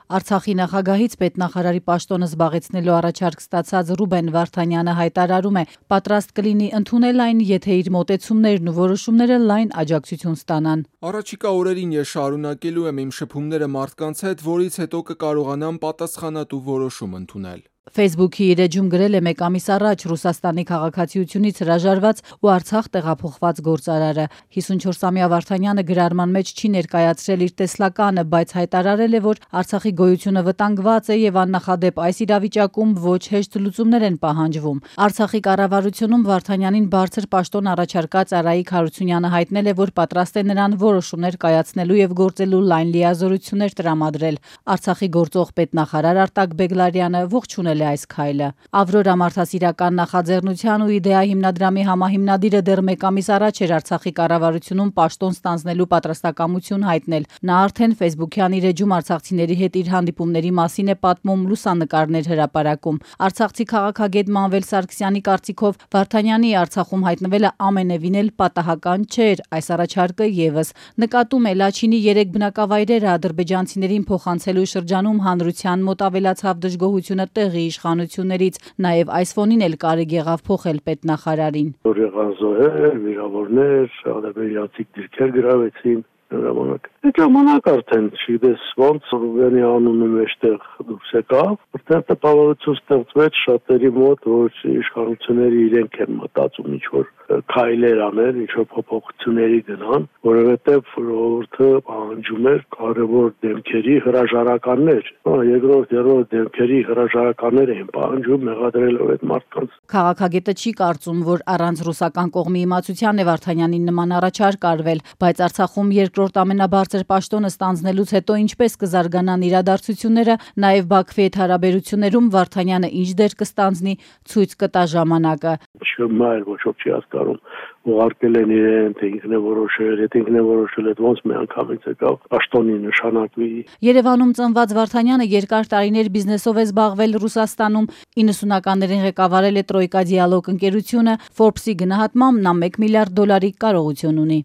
Արցախի նախագահից պետնախարարի պաշտոնը զբաղեցնելու առաջարկ ստացած Ռուբեն Վարդանյանը հայտարարում է, պատրաստ կլինի ընդունել այն, եթե իր մոտեցումներն ու որոշումները լայն աջակցություն ստանան։ Առաջիկա օրերին ես շարունակելու եմ իմ շփումները մարդկանց հետ, որից հետո կկարողանամ պատասխանատու որոշում ընդունել։ Facebook-ի իր էջում գրել է մեկ ամիս առաջ Ռուսաստանի քաղաքացիությունից հրաժարված ու Արցախ տեղափոխված գործարարը։ 54-ամյա Վարդանյանը գրառման մեջ չի ներկայացրել իր տեսլականը, բայց հայտարարել է, որ Արցախի գոյությունը վտանգված է եւ աննախադեպ այս իրավիճակում ոչ հեշտ լուծումներ են պահանջվում։ Արցախի կառավարությունում Վարդանյանին բարձր պաշտոն առաջարկած Արայիկ Հարությունյանը հայտնել է, որ պատրաստ է նրան որոշումներ կայացնելու եւ գործելու լայն լիազորություններ տրամադրել։ Արցախի գործող պետնախարար Արտակ Բեգլարյանը ողջունել այս քայլը։ Ավրորա մարդասիրական նախաձեռնության ու իդեա հիմնադրամի համահիմնադիրը դեռ մեկ ամիս առաջ էր Արցախի կառավարությունում պաշտոն ստանձնելու պատրաստակամություն հայտնել։ Նա արդեն Facebook-յան իր էջում արցախցիների հետ իր հանդիպումների մասին է պատմում, լուսանկարներ հրապարակում։ Արցախցի քաղաքագետ Մանվել Սարգսյանի կարծիքով Վարդանյանի Արցախում հայտնվելը ամենևին էլ պատահական չէր, այս առաջարկը եւս նկատում է Լաչինի 3 բնակավայրերը ադրբեջանցիներին փոխանցելու շրջանում հանրության մոտ ավելացավ դժգոհությունը տեղի իշխանություններից, նաև այս ֆոնին էլ կարիք եղավ փոխել պետնախարարին։ Որ եղան զոհեր, վիրավորներ, ադրբեջանցի դիրքեր գրավեցին ժամանակ։ Այդ ժամանակ արդեն չգիտես ոնց Ռուբենի անունը մեջտեղ դուրս եկավ, որտեղ տպավորություն ստեղծվեց շատերի մոտ, որ իշխանությունները իրենք են մտածում ինչ-որ քայլեր անել, ինչ-որ փոփոխությունների գնան, որովհետև ժողովուրդը պահանջում էր կարևոր դեմքերի հրաժարականներ։ Երկրորդ դեմքերի հրաժարականներ էին պահանջում մեղադրելով այդ մարդկանց։ Քաղաքագետը չի կարծում, որ առանց ռուսական կողմի իմացության է Վարդանյանին նման առաջարկ արվել, բայց Արցախում երկրորդ ամենաբարձր պաշտոնը ստանձնելուց հետո ինչպես կզարգանան իրադարձությունները, նաև Բաքվի հետ հարաբերություններում Վարդանյանը ինչ դեր կստանձնի, ցույց կտա ժամանակը։ Չմա էլ ոչ ոք չի հասկանում, ուղարկել են իրեն, թե ինքն է որոշել, եթե ինքն է որոշել, այդ ոնց մի անգամից եկավ պաշտոնի նշանակվի։ Երևանում ծնված Վարդանյանը երկար տարիներ բիզնեսով է զբաղվել Ռուսաստանում, 90-ականներին ղեկավարել է Տրոյկա Դիալոգ ընկերությունը, Forbes-ի գնահատմամբ նա $1 միլիարդ կարողություն ունի։